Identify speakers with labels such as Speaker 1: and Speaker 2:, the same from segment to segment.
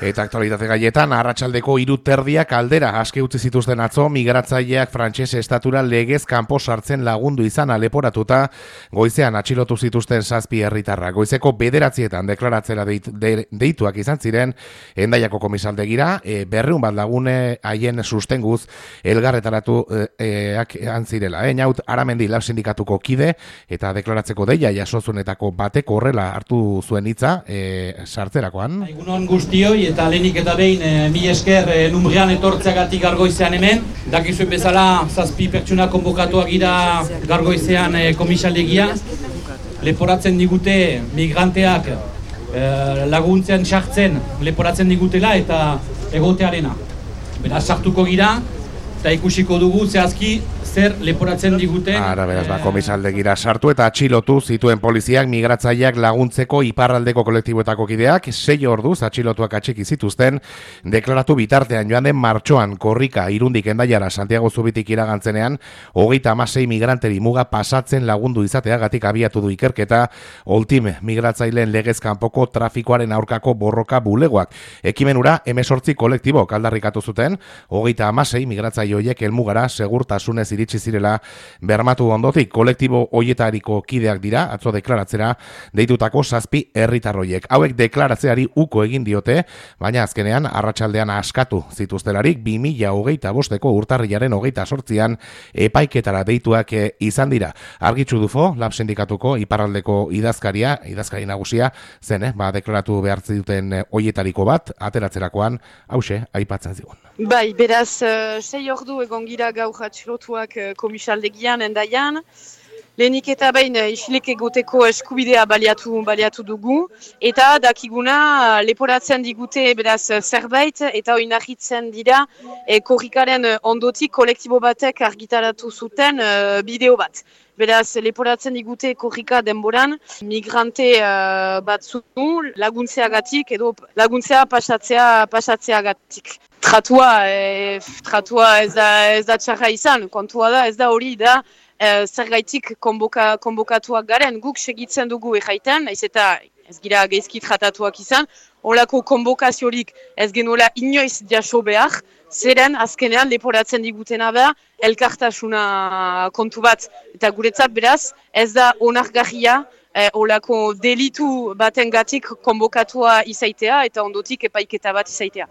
Speaker 1: Eta aktualitate gaietan, arratsaldeko 3:30 aldera aske utzi zituzten atzo migratzaileak frantses estatura legez kanpo sartzen lagundu izana leporatuta goizean atxilotu zituzten 7 herritarrak. Goizeko 9:00 deklaratzera deituak izan ziren Hendaiako komisaldegira, 200 bat lagune haien sustenguz elgarretaratu antzirela. Naut Aramendi Lab sindikatuko kide eta deklaratzeko deia jasozunetako batek horrela hartu zuen hitza sartzerakoan.
Speaker 2: Egunon guztioi eta lehenik eta behin mil esker numbrian etortzeagatik Gargoizean hemen. Dakizuen bezala 7 pertsona konbokatuak gira Gargoizean komisaldegia. Leporatzen digute migranteak laguntzen sartzen leporatzen digutela eta egotearena. Beraz sartuko gira eta ikusiko dugu zehazki zer leporatzen diguten.
Speaker 1: Beraz, komisaldegira sartu eta atxilotu zituen poliziak migratzaileak laguntzeko iparraldeko kolektiboetako kideak 6 orduz atxilotuak atxiki zituzten deklaratu bitartean joan den martxoan korrika Irundik Hendaiara Santiago Zubitik iragantzenean 36 migranteri muga pasatzen lagundu izateagatik abiatu du ikerketa Oltim migratzaileen legez kanpoko trafikoaren aurkako borroka bulegoak. Ekimenura 18 kolektibok aldarrikatu zuten 36 migratzaile horiek helmugara segurtasunez iritsi zirela bermatu ondotik. Kolektibo hoietariko kideak dira atzo deklaratzera deitutako 7 herritarroiek. Hauek deklaratzeari uko egin diote, baina azkenean arratsaldean askatu zituztelarik 2025ko urtarrilaren 28an epaiketara deituak izan dira. Argitxu Dufo, Lab sindikatuko iparraldeko idazkari nagusia zen, deklaratu behar zituten hoietariko bat ateratzerakoan hause aipatzen zigun.
Speaker 3: Bai, beraz, 6 ordu egon gira gaur atxilotuak komisaldegian Hendaian. Lehenik eta behin isilik egoteko eskubidea baliatu dugu. Eta dakiguna leporatzen digute beraz zerbait eta oinarritzen dira korrikaren ondotik kolektibo batek argitaratu zuten bideo bat. Beraz, leporatzen digute korrika denboran, migrante batzu laguntzeagatik edo laguntzea pasatzeagatik. Tratua ez da txarra izan, kontua da, ez da hori da zergaitik konbokatuak garen, guk segitzen dugu erraiten, ez gira geizki tratatuak izan, holako konbokaziorik ez genuela inoiz jaso behar, zeren azkenean leporatzen digutena da elkartasuna kontu bat. Eta guretzat beraz, ez da onargarria holako delitu batengatik konbokatua izaitea eta ondotik epaiketa bat izaitea.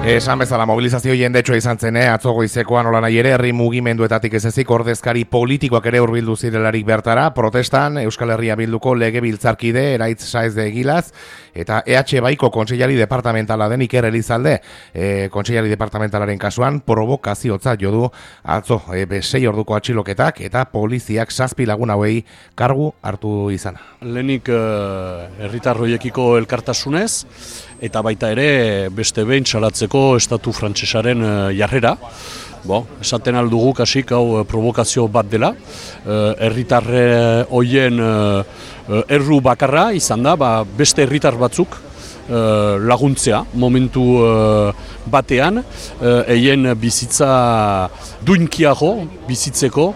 Speaker 1: Esan bezala mobilizazio jendetsua izan zen, atzo goizekoan nola nahi ere herri mugimenduetatik ez ezik ordezkari politikoak ere hurbildu zirelarik bertara, protestan Euskal Herria Bilduko legebiltzarkide Eraitz Saez de Egilaz eta EH Baiko kontseilari departamentala den Iker Elizalde, kontseilari departamentalaren kasuan provokaziotza jo du atzo 6 orduko atxiloketak eta poliziak 7 lagun hauei kargu hartu izana.
Speaker 4: Lehenik herritarroiekiko elkartasunez eta baita ere beste behin salatzeko estatu frantsesaren jarrera. Esaten aldugu kasik hau provokazio bat dela. Herritarre hoien erru bakarra izan da, beste herritar batzuk laguntzea momentu batean, eien bizitza duinkiago bizitzeko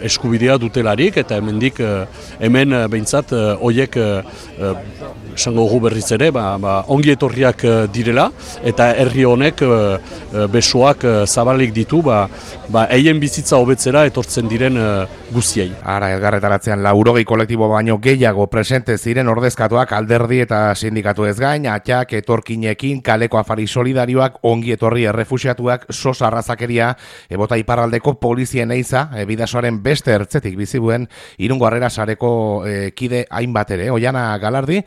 Speaker 4: eskubidea dutelarik eta hemen behintzat hoiek esango gu berriz ere ongi etorriak direla eta herri honek besoak zabalik ditu eien bizitza hobetzera etortzen diren guztiei.
Speaker 1: Elgarretaratzean 80 kolektibo baino gehiago presente ziren ordezkatuak alderdi eta sindikatu ez gain, atxak, etorkinekin, kaleko afari solidarioak, ongi etorri errefuxiatuak, sos arrazakeria, ebota iparraldeko polizien eiza, bidasoaren beste ertzetik bizibuen Irungo Harrera sareko kide hainbat ere. Oiana Galardi,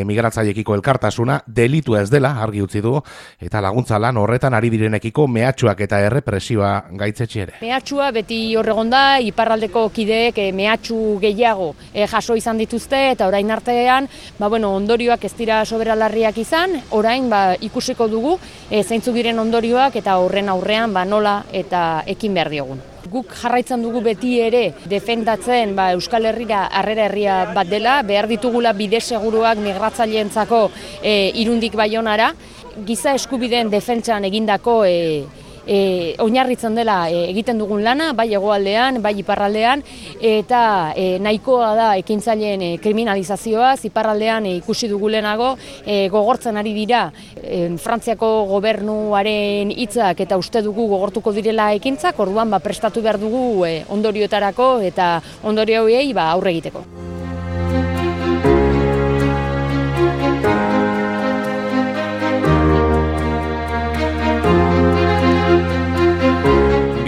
Speaker 1: migratzaileekiko elkartasuna delitu ez dela argi utzi du eta laguntza lan horretan ari direnekiko mehatxuak eta errepresioa gaitzetsi ere.
Speaker 5: Mehatxua beti horregonda, iparraldeko kideek mehatxu gehiago jaso izan dituzte eta orain artean ondorioak ez dira soberalarriak izan, orain ikusiko dugu zeintzuk diren ondorioak eta horren aurrean nola eta ekin behar diogun. Guk jarraitzen dugu beti ere defendatzen Euskal Herrira harrera herria bat dela, behar ditugula bide seguruak migratzaileentzako Irundik Baionara, giza eskubideen defentsan egindako oinarritzen dela egiten dugun lana, bai hegoaldean, bai iparraldean, eta nahikoa da ekintzaileen kriminalizazioa, iparraldean ikusi dugu lehenago, gogortzen ari dira Frantziako gobernuaren hitzak eta uste dugu gogortuko direla ekintzak, orduan prestatu behar dugu ondorioetarako eta ondorio horiei aurre egiteko.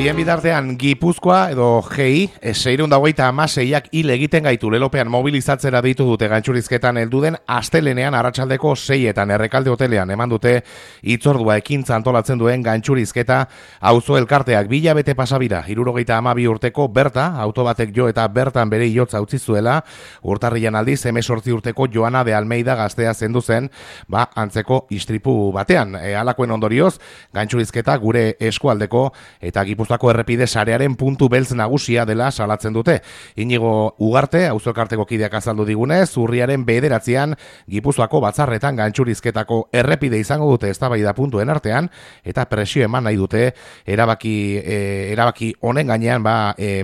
Speaker 1: Bien bitartean Gipuzkoa edo GI 626ak hil egiten gaitu lelopean mobilizatzera deitu dute gantxurizketan heldu den astelenean arratsaldeko 6etan Errekalde hotelean eman dute hitzordua ekintza antolatzen duen gantxurizketa auzo elkarteak 2 hilabete pasabira 72 urteko Berta auto batek jo eta bertan bere hilotza utzi zuela urtarrian aldiz 18 urteko Joana de Almeida gaztea zendu zen antzeko istripu batean halakoen ondorioz gantxurizketa gure eskualdeko eta Gipuzkoako errepide sarearen puntu beltz nagusia dela salatzen dute. Inigo Ugarte, auzo elkarteko kideak azaldu digunez, urriaren 9an Gipuzkoako batzarretan gantxurizketako errepide izango dute eztabaida puntuen artean eta presio eman nahi dute erabaki honen gainean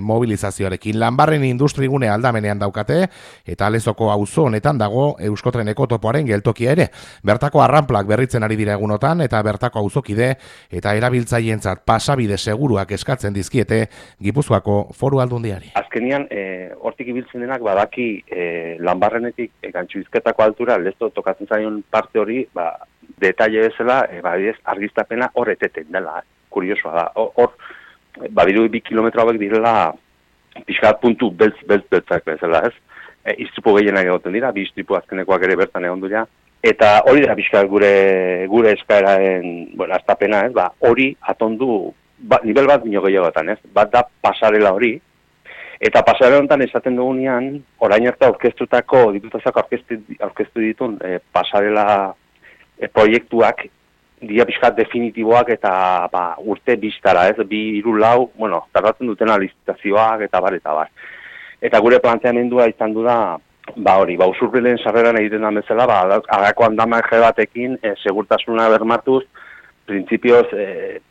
Speaker 1: mobilizazioarekin. Lanbarren industrigune aldamenean daukate eta Lezoko auzo honetan dago Euskotreneko topoaren geltokia ere. Bertako arranplak berritzen ari dira egunotan eta bertako auzokide eta erabiltzaileentzat pasabide seguruak eskatzen dizkiete Gipuzkoako Foru Aldundiari.
Speaker 6: Azkenian, hortik ibiltzen denak badaki Lanbarrenetik gantxurizketako altura, Lezo tokatzen zaion parte hori, detaile bezala, argiztapena hor eteten dela, kuriosoa da. Hor, badiru 2 kilometro hauek direla pixkat puntu beltzak bezala, ez? Istripu gehienak egoten dira, 2 istripu azkenekoak ere bertan egon dira, eta hori da pixkat gure eskaeraren, astapena, ez? Hori atondu nivel bat bino gehiagotan, ez? Bat da pasarela hori, eta pasarela honetan esaten dugunean, orain arte aurkeztutako, diputazioak aurkeztu ditun pasarela proiektuak, dira pixkat definitiboak eta urte biztara, ez? 2-3 tardatzen dutena licitazioak eta bar. Eta gure planteamendua izan du da, usurbilen sarreran egiten da bezala, agako andamaje batekin, segurtasuna bermatuz, printzipioz,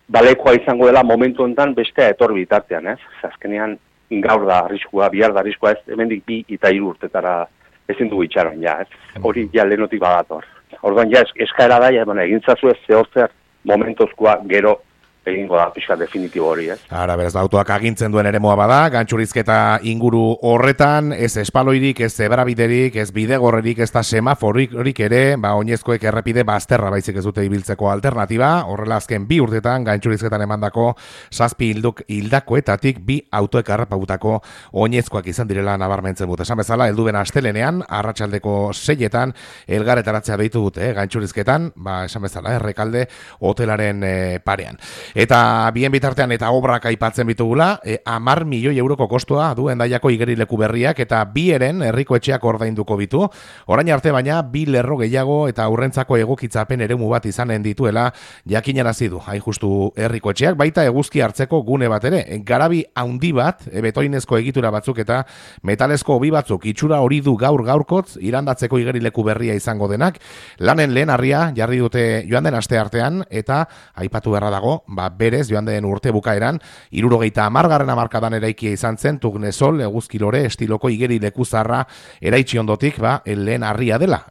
Speaker 6: balekoa izango dela momentu honetan bestea etor bitartean, ez? Azkenean gaur da arriskua, bihar da arriskua, ez? Hemendik 2 eta 3 urtetara ezin dugu itxaron, ja, ez? Hori ja lehenotik badator. Orduan ja eskaera da, egintzazu ez zehozer momentozkoa gero egingo da pixka definitibo hori, ez?
Speaker 1: Ara, beraz, autoak agintzen duen eremoa bada, gantxurizketa inguru horretan, ez espaloirik, ez zebrabiderik, ez bidegorrerik, ez da semaforik ere, oinezkoek errepide bazterra baizik ez dute ibiltzeko alternatiba, horrela azken 2 urtetan gantxurizketan emandako 7 hildakoetatik 2 autoek harrapautako oinezkoak izan direla nabarmentzen dute. Esan bezala, helduen astelenean, arratsaldeko 6etan, elgarretaratzea deitu dute, gantxurizketan, esan bezala, Errekalde hotelaren parean. Eta bien bitartean eta obrak aipatzen bitugula, 10 milioi euroko kostua du Hendaiako igerileku berriak eta 2 eren herriko etxeak ordainduko bitu. Orain arte baina 2 lerro gehiago eta aurrentzako egokitzapen eremu bat izanen dituela jakinarazi du. Hain justu herriko etxeak baita eguzki hartzeko gune bat ere. Garabi handi bat, betoinezko egitura batzuk eta metalezko hobi batzuk itxura hori du gaurkotz irandatzeko igerileku berria izango denak. Lanen lehen harria jarri dute joan den aste artean eta aipatu beharra dago, berez joan den urte bukaeran 70. hamarkadan eraikia izan zen Tugnesol eguzkilore estiloko igeri lekuzarra eraitsi ondotik lehen harria dela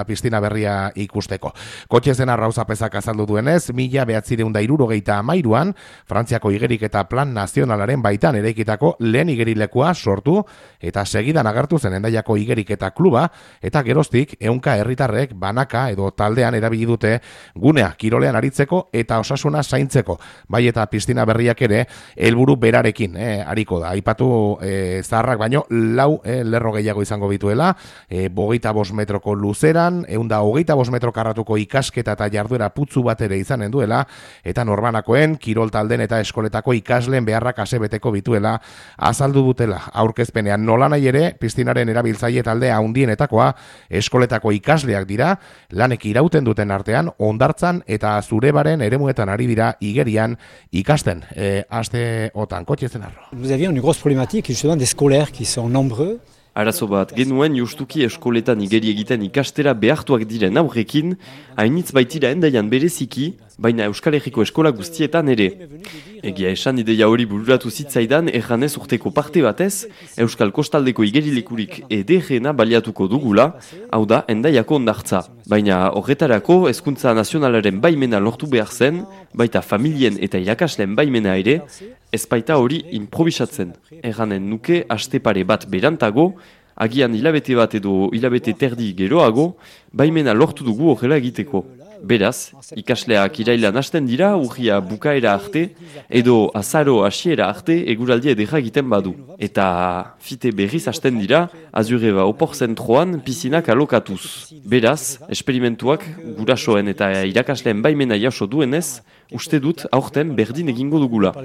Speaker 1: piztina berria ikusteko. Kotxe zen arrauzapezak azaldu duenez 1973an Frantziako igerik eta plan nazionalaren baitan eraikitako lehen igerilekua sortu eta segidan agertu zen Hendaiako igerik eta kluba eta geroztik 100 herritarrek banaka edo taldean erabili dute gunea kirolean aritzeko eta osasuna zaintzeko, bai eta piztina berriak ere helburu berarekin ariko da. Aipatu zaharrak baino 4 lerro gehiago izango bituela, 25 metroko luzeran, 125 metro karratuko ikasketa eta jarduera putzu bat ere izanen duela, eta norbanakoen, kirol talden eta eskoletako ikasleen beharrak asebeteko bituela azaldu dutela. Aurkezpenean nolanahi ere, piztinaren erabiltzaile talde handienetakoa eskoletako ikasleak dira, lanek irauten duten artean, hondartzan eta Zurebaren eremuetan ari dira igerian ikasten. Aste otan, Kotxe Zenarro.
Speaker 7: Nous avions une grosse problématique, justement, des scolaires qui sont nombreux.
Speaker 8: Arazo bat, genuen justuki eskoletan igeri egiten ikastera behartuak diren aurrekin, hainitz baitira Hendaian bereziki, baina Euskal Herriko eskola guztietan ere. Egia esan ideia hori bururatu zitzaidan erranez urteko parte batez, Euskal Kostaldeko igerilekurik ederrena baliatuko dugula, hau da, Hendaiako hondartza. Baina horretarako hezkuntza nazionalaren baimena lortu behar zen, baita familien eta irakasleen baimena ere, ez baita hori improvisatzen. Erranen nuke aste pare bat berantago, agian hilabete bat edo hilabete terdi geroago, baimena lortu dugu horrela egiteko. Beraz, ikasleak irailan hasten dira, urria bukaera arte, edo azaro hasiera arte eguraldia edera egiten badu. Eta fite berriz hasten dira, Azureba opor zentroan pizinak alokatuz. Beraz, esperimentuak gurasoen eta irakasleen baimena jaso duenez, uste dut aurten berdin egingo dugula.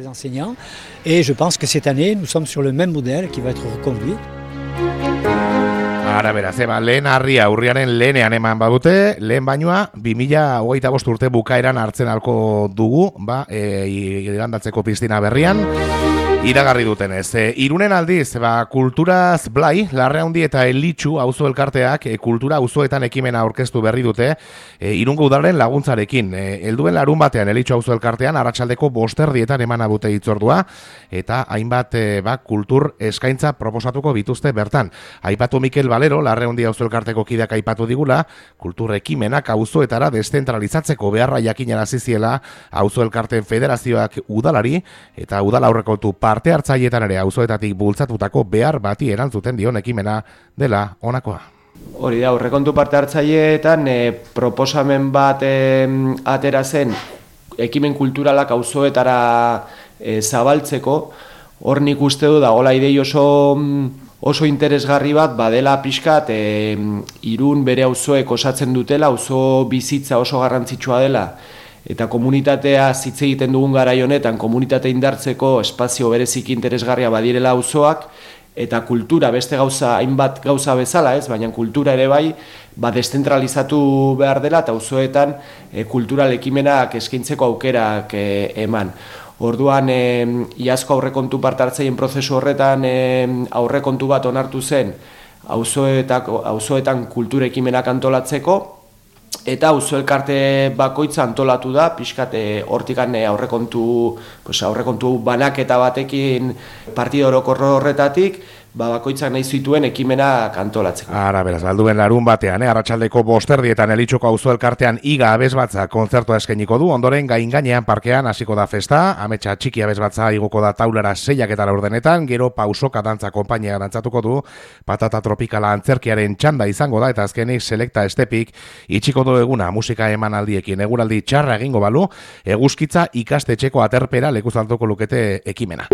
Speaker 7: Et je pense que cette année, nous sommes sur le même modèle qui va être reconduit.
Speaker 1: Ara beraz, lehen harria urriaren lehenean eman badute, lehen bainoa 2025 urte bukaeran hartzen alko dugu, igandatzeko piztina berrian, iragarri dutenez. Irunen aldiz, kulturaz blai, Larraundi eta Elitxu auzo elkarteak kultura auzoetan ekimena aurkeztu berri dute, Irungo udalaren laguntzarekin. Helduen larun batean Elitxu auzo elkartean arratsaldeko 5:00 emana dute hitzordua, eta hainbat kultur eskaintza proposatuko bituzte bertan. Aipatu Mikel Valero, Larraundi auzo elkarteko kideak aipatu digula, kultur ekimenak auzoetara deszentralizatzeko beharra jakinarazi ziela auzo elkarteen federazioak udalari eta udal aurrekontu parte hartzaileetan ere auzoetatik bultzatutako behar bati erantzuten dion ekimena dela honakoa.
Speaker 9: Hori da, aurrekontu parte hartzaileetan proposamen bat atera zen ekimen kulturalak auzoetara zabaltzeko. Hor nik uste du dagoela idei oso interesgarri bat badela pixkat Irun bere auzoek osatzen dutela, auzo bizitza oso garrantzitsua dela. Eta komunitatea hitz egiten dugun garai honetan, komunitate indartzeko espazio berezik interesgarria badirela auzoak, eta kultura beste gauza, hainbat gauza bezala, baina kultura ere bai, deszentralizatu behar dela, eta auzoetan kultural ekimenak eskaintzeko aukerak eman. Orduan, iazko aurrekontu parte hartzaien prozesu horretan aurrekontu bat onartu zen auzoetan kultura ekimenak antolatzeko, eta auzo elkarte bakoitza antolatu da, pixkat hortikan aurrekontu banaketa batekin partida orokorro horretatik, bakoitzak nahi zituen ekimenak antolatzeko.
Speaker 1: Ara, beraz, alduen larun batean, arratsaldeko 5:00 Elitxuko auzo elkartean Iga abesbatza kontzertua eskainiko du, ondoren gainean parkean hasiko da festa, ametsa txiki abesbatza igoko da taulara 6:00 ordenetan, gero pausoka dantza konpainia dantzatuko du, patata tropikala antzerkiaren txanda izango da, eta azkenik selekta estepik itxiko du eguna musika emanaldiekin. Eguraldi txarra egingo balu, eguzkitza ikastetxeko aterpera lekuz altuko lukete ekimena.